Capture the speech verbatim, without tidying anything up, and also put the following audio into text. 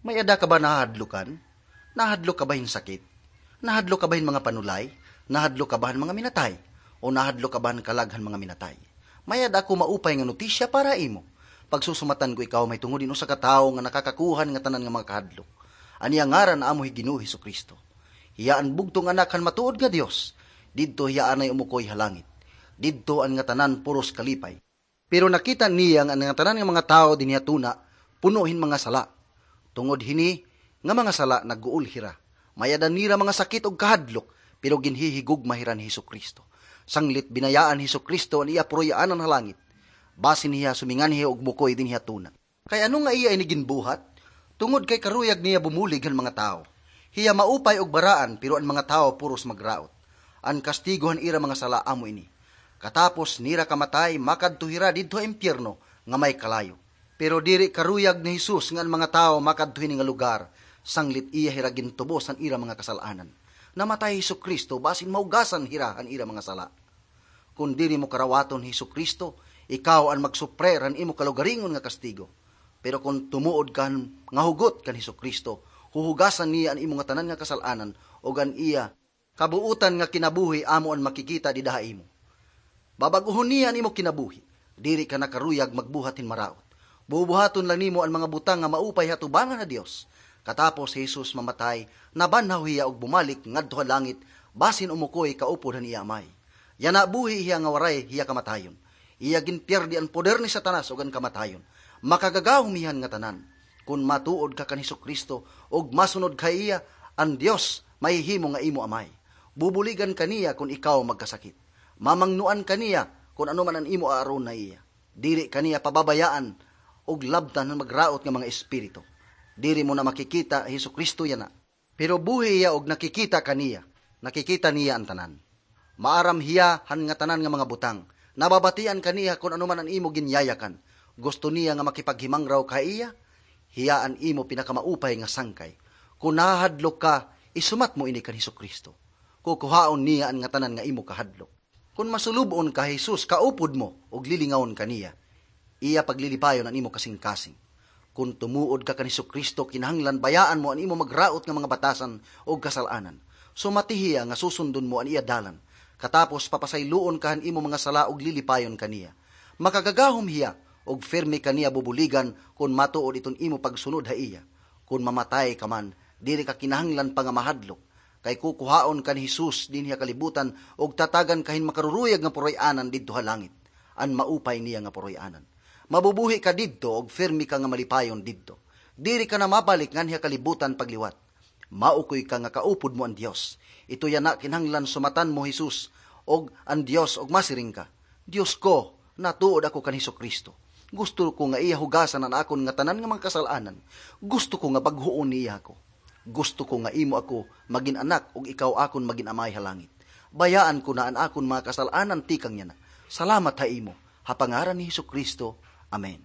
May-ada ka ba nahahadlokan? Nahadlok ka ba hin sakit? Nahadlok ka ba hin mga panulay? Nahadlok ka ba han mga minatay? O nahadlok ka ba han kalag han mga minatay? May-ada ako maupay nga notisya para ha imo. Pagsusumatan ko ikaw mahitungod hin usa ka tawo nga nakakakuha han ngatanan nga mga kahadlok. An iya ngaran amo hi Ginoo Jesu-Cristo. Hiya an bugtong Anak han matuod nga Dios. Didto hiya anay umukoy ha langit. Didto an ngatanan puros kalipay. Pero nakita niya nga an ngatanan nga mga tawo dinhi ha tuna puno hin mga sala. Tungod hini nga mga sala, nagguol hira. May-ada nira mga sakit ug kahadlok, pero ginhihigugma hira ni Jesu-Cristo. Sanglit binayaan ni Jesu-Cristo an iya puroy-anan ha langit. Basin hiya suminganhi ug mukoy dinhi ha tuna. Kay ano nga iya ini ginbuhat? Tungod kay karuyag niya bumulig han mga tawo. Hiya maupay ug baraan, pero an mga tawo puros magraot. An kastigo han ira mga sala amo ini. Katapos nira kamatay, makadto hira didto ha impyerno nga may kalayo. Pero diri karuyag ni Jesus nga an mga tawo makadto hini nga lugar, sanglit iya hira gintubos han ira mga kasal-anan. Namatay hi Jesu-Cristo basin mahugasan hira han ira mga sala. Kon diri mo karawaton hi Jesu-Cristo, ikaw an magsuprer han imo kalugaringon nga kastigo. Pero kon tumuod ka han, nga hugot kan Jesu-Cristo, huhugasan niya an imo ngatanan nga kasal-anan, ug an iya kabuotan nga kinabuhi amo an makikita dida ha imo. Babag-ohon niya an imo kinabuhi. Diri ka na karuyag magbuhat hin maraot. Bubuhaton la nimo an mga butang nga maupay ha atubangan ha Dios. Katapos hi Jesus mamatay, nabanhaw hiya ug bumalik ngadto ha langit, basin umukoy kaupod han iya Amay. Yana buhi hiya nga waray hiya kamatayon. Iya ginpiyerdi an poder ni Satanas ug an kamatayon. Makagagahom hiya han ngatanan. Kon matuod ka kan Jesu-Cristo ug masunod ka ha iya, an Dios mahihimo nga imo Amay. Bubuligan ka niya kon ikaw magkasakit. Mamangnoan ka niya kon ano man an imo aaron ha iya. Diri ka niya pababayaan ug labtan han magraot nga mga espiritu. Diri mo na makikita hi Jesu-Cristo yana. Pero buhi hiya ug nakikita ka niya. Nakikita niya an tanan. Maaram hiya han ngatanan nga mga butang. Nababatian ka niya kon ano man an imo ginyayakan. Gusto niya nga makipaghimangraw ka ha iya. Hiya an imo pinakamaupay nga sangkay. Kon nahahadlok ka, isumat mo ini kan Jesu-Cristo. Kukuhaon niya an ngatanan nga imo kahadlok. Kon masulub-on ka ha Jesus, kaupod mo ug lilingawon ka niya. Iya paglilipayon an imo kasingkasing. Kon tumuod ka kan Jesu-Cristo, kinahanglan bayaan mo an imo magraot nga mga batasan ug kasal-anan. Sumati hiya nga susundon mo an iya dalan. Katapos papasayloon ka han imo mga sala ug lilipayon ka niya. Makagagahom hiya ug pirme ka niya bubuligan kon matuod iton imo pagsunod ha iya. Kon mamatay ka man, diri ka kinahanglan pa nga mahadlok. Kay kukuhaon ka ni Jesus dinhi ha kalibutan ug tatagan ka hin makaruruyag nga puroy-anan didto ha langit, an maupay niya nga puroy-anan. Mabubuhi ka didto ug pirme ka nga malipayon didto. Diri ka na mabalik nganhi ha kalibutan pagliwat. Maukoy ka nga kaupod mo an Dios. Ito yana kinahanglan sumatan mo Jesus ug an Dios ug masiring ka, "Dios ko, natuod ako kan Jesu-Cristo. Gusto ko nga iya hugasan an akon ngatanan nga mga kasal-anan. Gusto ko nga bag-oon niya ako." Gusto ko nga imo ako magin anak ug ikaw akon magin amay ha langit. Bayaan ko na an akon mga kasal-anan tikang yana. Salamat ha imo. Ha pangaran ni Jesu-Cristo. Amen.